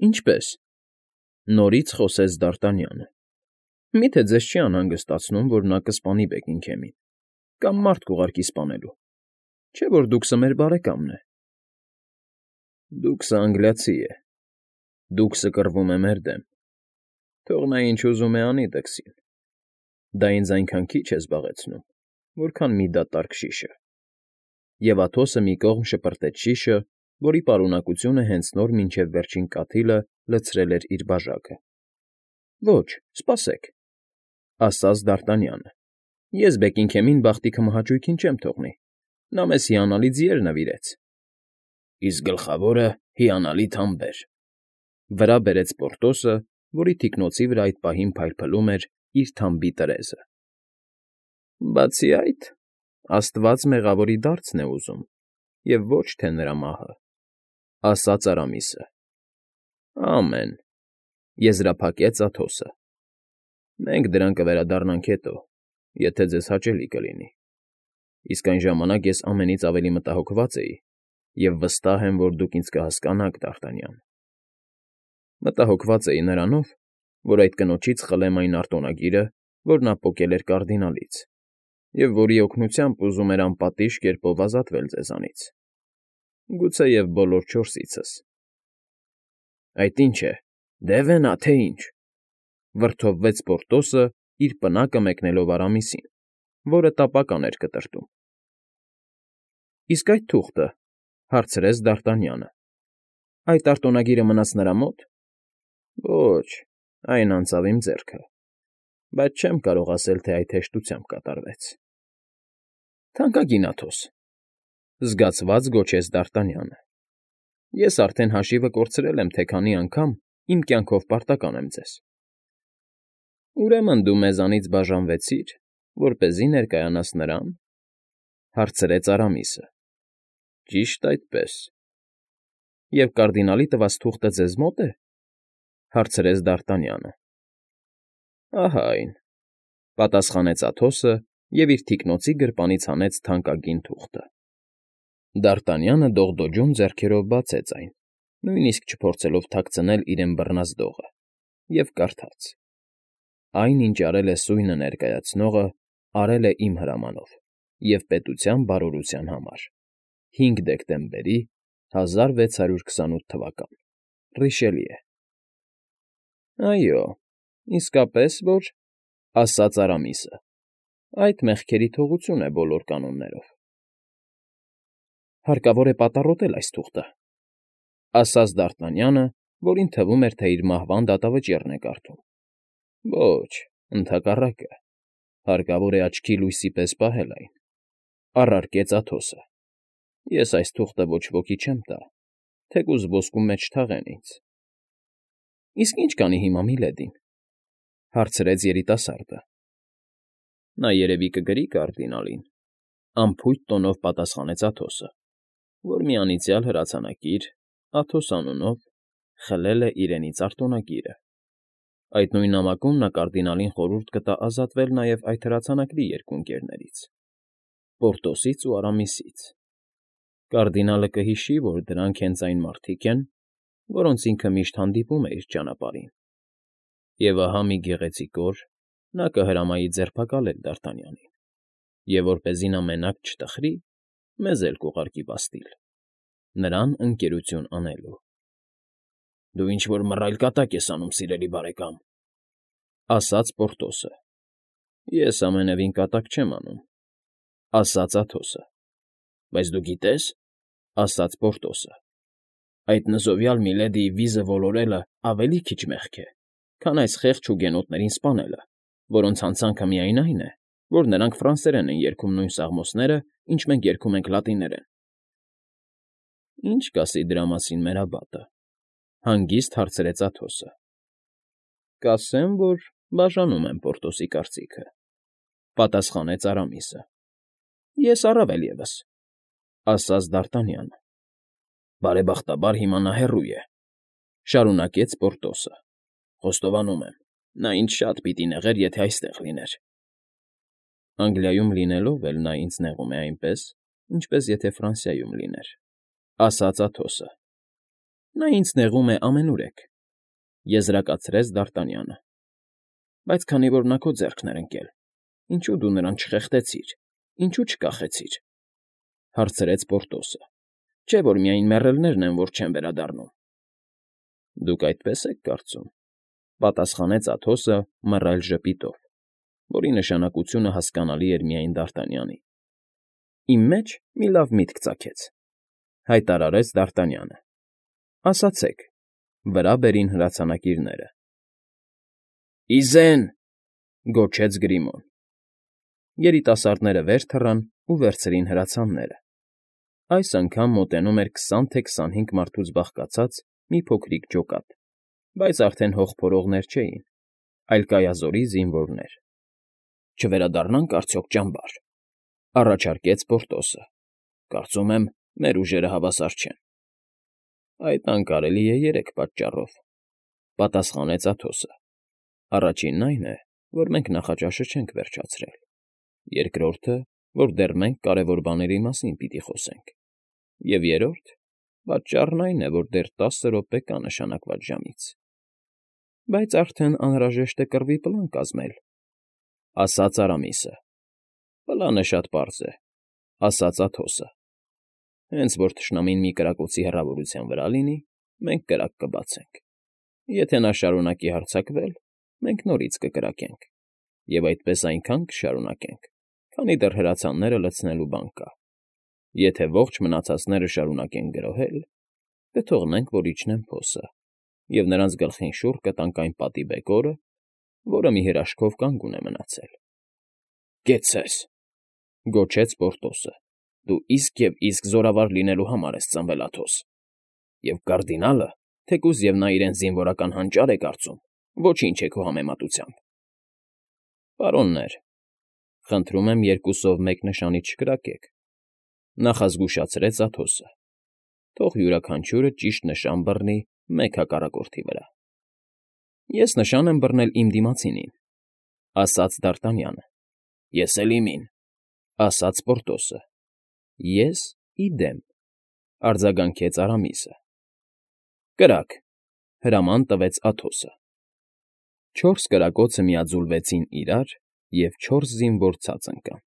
Ինչպե՞ս,֊ նորից խոսեց Դարտանյանը։֊ Մի՞թե ձեզ չի անհանգստացնում, որ նա կսպանի Բեքինգհեմին կամ մարդ կուղարկի սպանելու, չէ՞ որ դուքսը մեր բարեկամն է։ ֊ Դուքսը անգլիացի է, դուքսը կռվում է մեր դեմ, թող նա ինչ ուզում է անի դքսին, դա ինձ այնքան քիչ է զբաղեցնում, որքան մի դատարկ շիշը։ Եվ Աթոսը մի կողմ շպրտեց շիշը, որի պարունակությունը հենց նոր մինչև վերջին կաթիլը լցրել էր իր բաժակը։ ֊ Ոչ, սպասեք,֊ ասաց Դարտանյանը,֊ ես Բեքինգհեմին բախտի քմահաճույքին չեմ թողնի, նա մեզ հիանալի ձիեր նվիրեց։ ֊ Իսկ գլխավորը հիանալի թամբեր,֊ վրա բերեց Պորտոսը, որի թիկնոցի վրա այդ պահին փայլփլում էր իր թամբի տրեզը։ ֊ Բացի այդ, աստված մեղավորի դարձն է ուզում, և ոչ թե նրա մահը,֊ ասաց Արամիսը։ ֊ Ամեն,֊ եզրափակեց Աթոսը։ ֊ Մենք դրան կվերադառնանք հետո, եթե ձեզ հաճելի կլինի, իսկ այն ժամանակ ես ամենից ավելի մտահոգված էի և վստահ եմ, որ դուք ինձ կհասկանաք, Դարտանյան… Մտահոգված էի նրանով, որ այդ կնոջից խլեմ այն արտոնագիրը, որ նա պոկել էր կարդինալից, և որի օգնությամբ ուզում էր անպատիժ կերպով ազատվել ձեզանից, գուցեև բոլոր չորսիցս։ ֊ Այդ ի՞նչ է, դև է նա, թե ինչ,֊ վրդովվեց Պորտոսը, իր պնակը մեկնելով Արամիսին, որը տապական էր կտրտում։ ֊ Իսկ այդ թուղթը,֊ հարցրեց Դարտանյանը,֊ այդ արտոնագիրը մնաց նրա մոտ։ ֊ Ոչ, այն անցավ իմ ձեռքը, բայց չեմ կարող ասել, թե այդ հեշտությամբ կատարվեց։ ֊ Թանկագին Աթոս,֊ զգացված գոչեց Դարտանյանը,֊ ես արդեն հաշիվը կորցրել եմ, թե քանի անգամ իմ կյանքով պարտական եմ ձեզ։ ֊ Ուրեմն դու մեզանից բաժանվեցիր, որպեսզի ներկայանաս նրան,֊ հարցրեց Արամիսը։ ֊ Ճիշտ այդպես։ ֊ Եվ կարդինալի տված թուղթը ձեզ մո՞տ է,֊ հարցրեց Դարտանյանը։ ֊ Ահա այն,֊ պատասխանեց Աթոսը և իր թիկնոցի գրպանից հանեց թանկագին թուղթը։ Դարտանյանը դողդոջուն ձեռքերով բացեց այն, նույնիսկ չփորձելով թաքցնել իրեն բռնած դողը, և կարդաց. «Այն, ինչ արել է սույնը ներկայացնողը, արել է իմ հրամանով և պետության բարօրության համար. 5 դեկտեմբերի 1628 թվական. Ռիշելիե»։ ֊ Այո, իսկապես որ,֊ ասաց Արամիսը,֊ այդ մեղքերի թողություն է բոլոր կանոններով։ ֊ Հարկավոր է պատառոտել այս թուղթը,֊ ասաց Դարտանյանը, որին թվում էր, թե իր մահվան դատավճիռն է կարդում։ ֊ Ոչ, ընդհակառակը, հարկավոր է աչքի լույսի պես պահել այն,֊ առարկեց Աթոսը։ ֊ Ես այս թուղթը ոչ ոքի չեմ տա, թեկուզ ոսկու մեջ չթաղեն ինձ։ ֊ Իսկ ի՞նչ կանի հիմա Միլեդին,֊ հարցրեց երիտասարդը։ ֊ Նա երևի կգրի կարդինալին,֊ անփույթ տոնով պատասխանեց Աթոսը, որ մի անիծյալ հրացանակիր, Աթոս անունով, խլել է իրենից արտոնագիրը։ Այդ նույն նամակում նա կարդինալին խորհուրդ կտա ազատվել նաև այդ հրացանակի երկու ընկերներից՝ Պորտոսից ու Արամիսից։ Կարդինալը կհիշի, որ դրանք հենց այն մարդիկ են, որոնց ինքը միշտ հանդիպում է իր ճանապարհին։ Եվ ահա մի գեղեցիկ օր նա կհրամայի ձերբակալել Դարտանյանին, և որպեսզի նա մենակ չտխրի, մեզ էլ կուղարկի պաստիլ, նրան ընկերություն անելու։ ֊ Դու ինչ֊որ մռայլ կատակ ես անում, սիրելի բարեկամ,֊ ասաց Պորտոսը։ ֊ Ես ամենևին կատակ չեմ անում,֊ ասաց Աթոսը։ ֊ Բայց դու գիտե՞ս,֊ ասաց Պորտոսը,֊ այդ նզովյալ Միլեդիի վիզը ոլորելը ավելի քիչ մեղք է, քան այս խեղճ հուգենոտներին սպանելը, որոնց հանցանքը միայն այն է, որ նրանք ֆրանսերեն են երգում նույն սաղմոսները, ինչ մենք երգում ենք լատիներեն։ ֊ Ի՞նչ կասի դրա մասին մեր աբատը,֊ հանգիստ հարցրեց Աթոսը։ ֊ Կասեմ, որ բաժանում եմ Պորտոսի կարծիքը,֊ պատասխանեց Արամիսը։ ֊ Ես առավել ևս,֊ ասաց Դարտանյանը։ ֊ Բարեբախտաբար հիմա նա հեռու է,֊ շարունակեց Պորտոսը։ ֊ Խոստովանում եմ, նա ինձ շատ պիտի նեղեր, եթե այստեղ լիներ։ ֊ Անգլիայում լինելով էլ նա ինձ նեղում է այնպես, ինչպես եթե Ֆրանսիայում լիներ,֊ ասաց Աթոսը։ ֊ Նա ինձ նեղում է ամենուրեք, Եզրակացրեց Դարտանյանը։ Բայց քանի որ նա քո ձեռքն էր ընկել, ինչու դու նրան չխեղդեցիր, ինչու չկախեցիր,֊ հարցրեց Պորտոսը։ Չէ՞ որ միայն մեռելներն են, որ չեն վերադառնում։ Դուք այդպես եք կարծում,֊ պատասխանեց Աթոսը մռայլ ժպիտով, որի նշանակությունը հասկանալի էր միայն Դարտանյանին։ Իմ մեջ մի լավ միտք ծագեց,֊ հայտարարեց Դարտանյանը։ Ասացեք, վրա բերին հրացանակիրները։ Իզեն,֊ գոչեց Գրիմոն։ Երիտասարդները վեր թռան ու վերցրին հրացանները։ Այս անգամ մոտենում էր 20 թե 25 մարդուց բաղկացած մի փոքրիկ ջոկատ, բայց արդեն հող փորողներ չէին, այլ կայազորի զինվորներ։ Չվերադառնանք արդյոք ճամբար,֊ առաջարկեց Պորտոսը։ Կարծում եմ, մեր ուժերը հավասար չեն։ Այդ անկարելի է 3 պատճառով,֊ պատասխանեց Աթոսը։ Առաջինն այն է, որ մենք նախաճաշը չենք վերջացրել։ Երկրորդը, որ դեռ մենք կարևոր բաների մասին պիտի խոսենք։ Եվ երրորդ պատճառն այն է, որ դեռ 10 րոպե կա նշանակված ժամից։ Բայց արդեն անհրաժեշտ է կռվի պլան կազմել,֊ ասաց Արամիսը։ Պլանը շատ պարզ է,֊ ասաց Աթոսը։ Հենց որ թշնամին մի կրակոցի հեռավորության վրա լինի, մենք կրակ կբացենք։ Եթե նա շարունակի հարձակվել, մենք նորից կկրակենք, և այդպես այնքան կշարունակենք, քանի դեռ հրացանները լցնելու բան կա։ Եթե ողջ մնացածները շարունակեն գրոհել, կթողնենք, որ իջնեն փոսը, և նրանց գլխին շուռ կտանք այն պատի բեկորը, որը մի հրաշքով կանգուն է մնացել։ Կեցցես,֊ գոչեց Պորտոսը։ Դու իսկ և իսկ զորավար լինելու համար ես ծնվել, Աթոս։ Եվ կարդինալը, թեկուզ և նա իրեն զինվորական հանճար է կարծում, ոչինչ է քո համեմատությամբ։ Պարոններ, խնդրում եմ երկուսով մեկ նշանի չկրակեք,֊ նախազգուշացրեց Աթոսը։ Թող յուրաքանչյուրը ճիշտ նշան բռնի մեկ հակառակորդի վրա։ Ես նշան եմ բռնել իմ դիմացինին,֊ ասաց Դարտանյանը։ Ես էլ իմին,֊ ասաց Պորտոսը։ Ես իդեմ,֊ արձագանքեց Արամիսը։ Կրակ,֊ հրաման տվեց Աթոսը։ 4 կրակոցը միաձուլվեցին իրար, և 4 զինվոր ցած ընկան։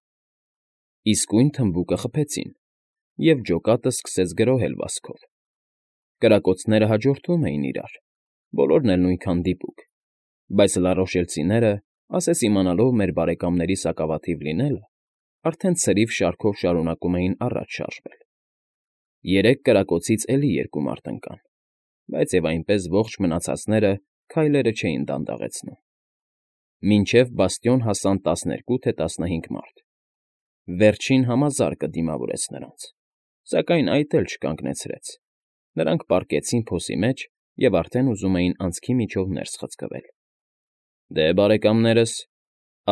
Իսկույն թմբուկը խփեցին, և ջոկատը սկսեց գրոհել վազքով։ Կրակոցները հաջորդում էին իրար, բոլորն էլ նույնքան դիպուկ, բայց լարոշելցիները, ասես իմանալով մեր բարեկամների սակավաթիվ լինելը, արդեն ցրիվ շարքով շարունակում էին առաջ շարժվել։ 3 կրակոցից էլի 2 մարդ ընկան, բայց և այնպես ողջ մնացածները քայլերը չէին դանդաղեցնում։ Մինչև բաստիոն հասան 12 թե 15 մարդ։ Վերջին համազարկը դիմավորեց նրանց, սակայն այդ էլ չկանգնեցրեց։ Նրանք պառկեցին փոսի մեջ և արդեն ուզում էին անցքի միջով ներս խցկվել։ Դե, բարեկամներս,֊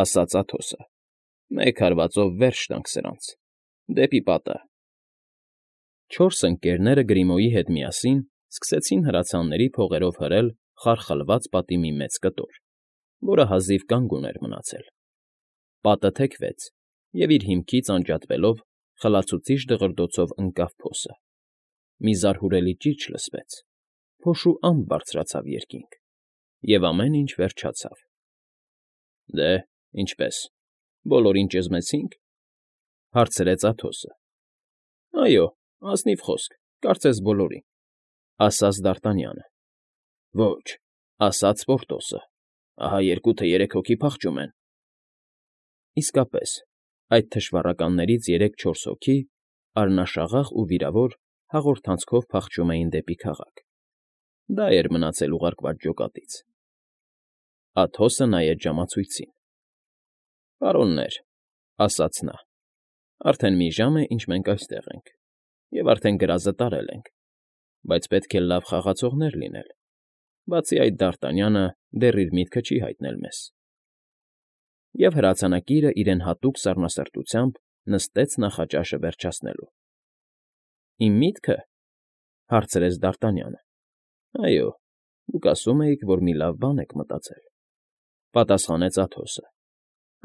ասաց Աթոսը,֊ մեկ հարվածով վերջ տանք սրանց, դեպի պատը։ 4 ընկերները Գրիմոյի հետ միասին սկսեցին հրացանների փողերով հրել խարխլված պատի մի մեծ կտոր, որը հազիվ կանգուն էր մնացել։ Պատը թեքվեց, և իր հիմքից անջատվելով խլացուցիչ դղրդոցով ընկավ փոսը։ Մի զարհուրելի ճիչ լսվեց, փոշու ամպ բարձրացավ երկինք, և ամեն ինչ վերջացավ։ Դե, ինչպե՞ս, բոլորին ճզմեցինք,֊ հարցրեց Աթոսը։ Այո, ազնիվ խոսք, կարծես բոլորին,֊ ասաց Դարտանյանը։ Ոչ,֊ ասաց Պորտոսը, ահա 2 թե 3 հոգի փախչում են։ Իսկապես, այդ թշվառականներից 3-4 հոգի, առնաշաղախ ու վիրավոր, հաղորդանցքով փախչում էին դեպի քաղաք։ Դա էր մնացել ուղարկված ջոկատից։ Աթոսը նայեց ժամացույցին։ Պարոններ,֊ ասաց նա,֊ արդեն մի ժամ է, ինչ մենք այստեղ ենք, և արդեն գրազը տարել ենք, բայց պետք է լավ խաղացողներ լինել, բացի այդ Դարտանյանը դեռ իր միտքը չի հայտնել մեզ։ Եվ հրացանակիրը իրեն հատուկ սառնասրտությամբ նստեց նախաճաշը վերջացնելու։ Իմ միտքը,֊ հարցրեց Դարտանյանը։ Այո, դուք ասում էիք, որ մի լավ բան եք մտածել,֊ պատասխանեց Աթոսը։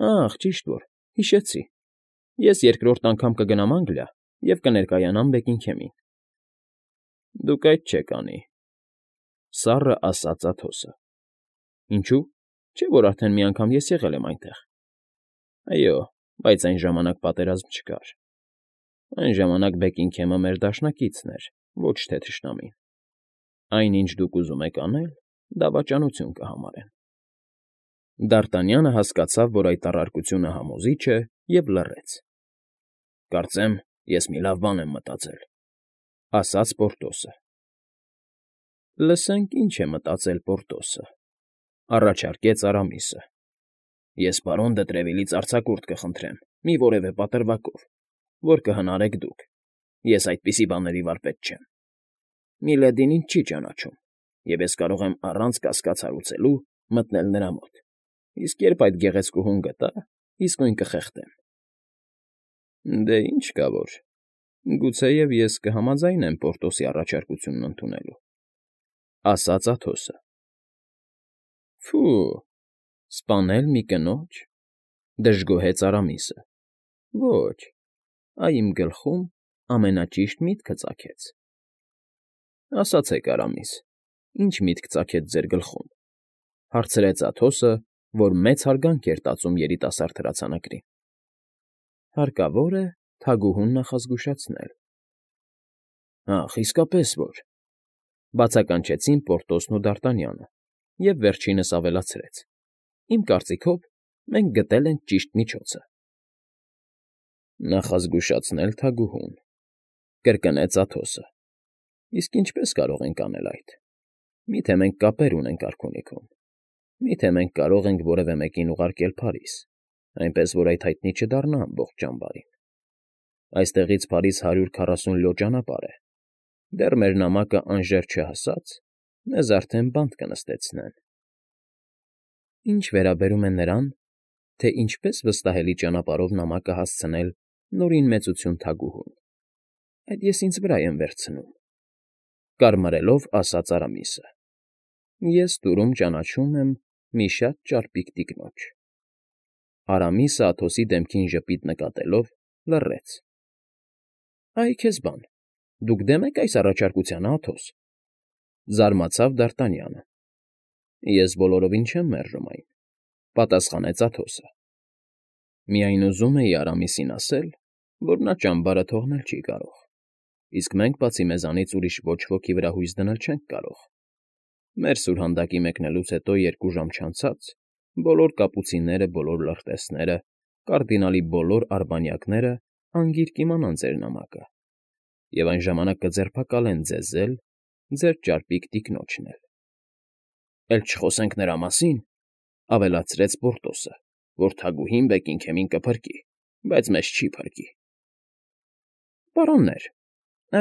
Ախ, ճիշտ որ, հիշեցի։ Ես երկրորդ անգամ կգնամ Անգլիա և կներկայանամ Բեքինգհեմին։ Դուք այդ չեք անի,֊ Սառը ասաց Աթոսը։ Ինչու՞, չէ՞ որ արդեն մի անգամ ես եղել եմ այնտեղ։ Այո, բայց այն ժամանակ պատերազմ չկար։ Այն ժամանակ Բեքինգհեմը մեր դաշնակիցն էր, ոչ թե թշնամին։ Այն, ինչ դուք ուզում եք անել, դավաճանություն կհամարեն։ Դ'Արտանյանը հասկացավ, որ այդ առարկությունը համոզիչ է, և լռեց։ Կարծեմ, ես մի լավ բան եմ մտածել, ասաց Պորտոսը։ Լսենք, ինչ է մտածել Պորտոսը, առաջարկեց Արամիսը։ Ես պարոն դը Տրևիլից արձակուրդ կխնդրեմ, մի որևէ պատրվակով, որ կհնարեք դուք։ Ես այդպիսի բաների վարպետ չեմ։ Միլեդին ինձ չի ճանաչում, և ես կարող եմ առանց կասկած հարուցելու մտնել նրա մոտ, իսկ երբ այդ գեղեցկուհուն գտա, իսկույն կխեղդեմ։ Դե ինչ կա որ, գուցեև ես կհամաձայնեմ Պորտոսի առաջարկությունն ընդունելու, ասաց Աթոսը։ Ֆու, սպանել մի կնոջ, դժգոհեց Արամիսը։ Ոչ, այ իմ գլխում ամենաճիշտ միտքը ծագեց։ Ասացեք, Արամիս, ինչ միտք ծագեց ձեր գլխում, հարցրեց Աթոսը, որ մեծ հարգանք էր տածում երիտասարդ հրացանակրին։ Հարկավոր է թագուհուն նախազգուշացնել։ Ախ, իսկապես որ, բացականչեցին Պորտոսն ու Դ'Արտանյանը, և վերջինս ավելացրեց. Իմ կարծիքով, մենք գտել ենք ճիշտ միջոցը։ Նախազգուշացնել թագուհուն, կրկնեց Աթոսը։ Իսկ ինչպես կարող ենք անել այդ։ Միթե մենք կապեր ունենք արքունիքում։ Միթե մենք կարող ենք որևէ մեկին ուղարկել Փարիզ, այնպես որ այդ հայտնի չդառնա ամբողջ ճամբարին։ Այստեղից Փարիզ 140 լո ճանապարհ է։ Դեռ մեր նամակը անժեր չհասած, մեզ արդեն բանտ կնստեցնեն։ Ինչ վերաբերում է նրան, թե ինչպես վստահելի ճանապարհով նամակը հասցնել նորին մեծություն թագուհուն, այդ ես ինձ վրա եմ վերցնում, կարմարելով ասաց Արամիսը։ Ես դուրում ճանաչում եմ մի շատ ճարպիկ տիկնոջ։ Արամիսը Աթոսի դեմքին ժպիտ նկատելով լռեց։ Այ քեզ բան, դուք դեմ եք այս առաջարկությանը, Աթոս, զարմացավ Դ'Արտանյանը։ Ես բոլորովին չեմ մերժում այն, պատասխանեց Աթոսը։ Միայն ուզում էի Արամիսին ասել, որ նա ճամբարը թողնել չի կարող, իսկ մենք բացի մեզանից ուրիշ ոչ ոքի վրա հույս դնել չենք կարող։ Մեր սուրհանդակի մեկնելուց հետո 2 ժամ չանցած բոլոր կապուցինները, բոլոր լրտեսները, կարդինալի բոլոր արբանյակները անգիր կիմանան ձեր նամակը, և այն ժամանակ կձերբակալեն ձեզ էլ, ձեր ճարպիկ տիկնոջն էլ։ Էլ չխոսենք նրա մասին, ավելացրեց Պորտոսը, որ թագուհին Բեքինգհեմին կփրկի, բայց մեզ չի փրկի։ Պարոններ,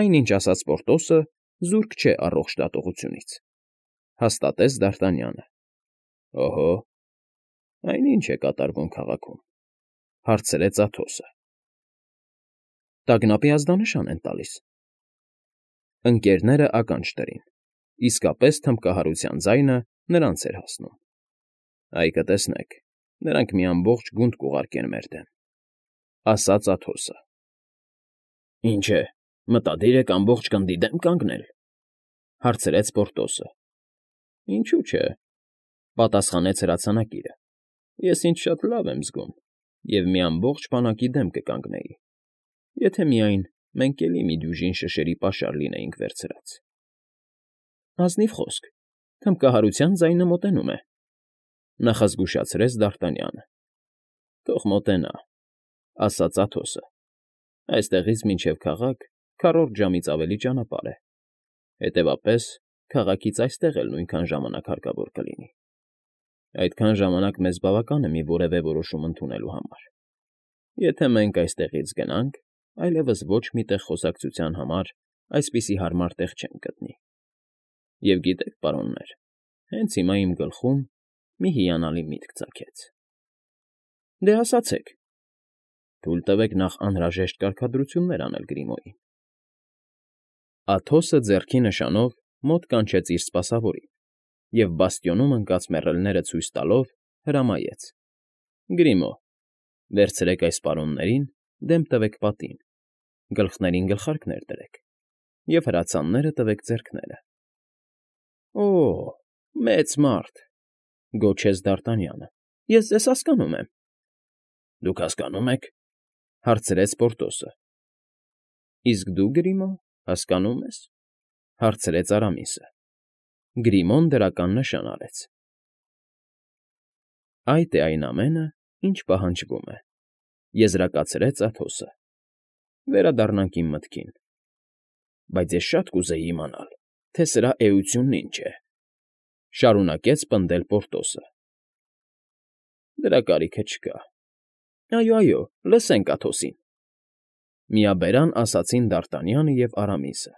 այնինչ ասաց Պորտոսը զուրկ չէ առողջ դատողությունից, հաստատեց Դ'Արտանյանը։ Օհո, այնինչ է կատարվում քաղաքում, հարցրեց Աթոսը։ Տագնապի ազդանշան են տալիս։ Ընկերները ականջ դրին, իսկապես թմբկահարության ձայնը նրանց էր հասնում։ Այ կտեսնեք, նրանք մի ամբողջ գունդ կուղարկեն մեր դեմ, ասաց Աթոսը։ Ինչ է, մտադիր եք ամբողջ գնդի դեմ կանգնել, հարցրեց Պորտոսը։ Ինչու՞ չէ, պատասխանեց հրացանակիրը։ Ես ինձ շատ լավ եմ զգում և մի ամբողջ բանակի դեմ կկանգնեի, եթե միայն մենք էլի մի դյուժին շշերի պաշար լինեինք վերցրած։ Ազնիվ խոսք, թմբկահարության ձայնը մոտենում է, նախազգուշացրեց Դ'Արտանյանը։ Թող մոտենա, ասաց Աթոսը։ Այստեղից մինչև քաղաք 4 ժամից ավելի ճանապարհ է։ Հետևապես, քաղաքից այստեղ էլ նույնքան ժամանակ հարկավոր կլինի։ Այդքան ժամանակ մեզ բավական է մի որևէ որոշում ընդունելու համար։ Եթե մենք այստեղից գնանք, այլևս ոչ մի տեղ խոսակցության համար այսպիսի հարմար տեղ չեմ գտնի։ Եվ գիտեք, պարոններ, հենց հիմա իմ գլխում մի հիանալի միտք ծագեց։ Դե ասացեք։ Թույլ տվեք նախ անհրաժեշտ կարգադրություններ անել Գրիմոյին։ Աթոսը ձեռքի նշանով մոտ կանչեց իր սպասավորին և բաստիոնում ընկած մեռելները ցույց տալով հրամայեց. Գրիմո, վերցրեք այս պարոններին, դեմ տվեք պատին, գլխներին գլխարկներ դրեք և հրացանները տվեք ձեռքները։ Օ, մեծ մարդ,֊ գոչեց Դ'Արտանյանը։ Ես ձեզ հասկանում եմ։ ֊ Դուք հասկանո՞ւմ եք,֊ հարցրեց Պորտոսը։ ֊ Իսկ դու, Գրիմո, հասկանո՞ւմ ես,֊ հարցրեց Արամիսը։ Գրիմոն դրական նշան արեց։ ֊ Այդ է այն ամենը, ինչ պահանջվում է,֊ եզրակացրեց Աթոսը։ Վերադառնանք իմ մտքին։ Բայց ես շատ կուզեի իմանալ, թե սրա էությունն ինչ է,֊ շարունակեց պնդել Պորտոսը։ ֊ Դրա կարիքը չկա։ Այո, լսենք Աթոսին,֊ միաբերան ասացին Դ'Արտանյանը և Արամիսը։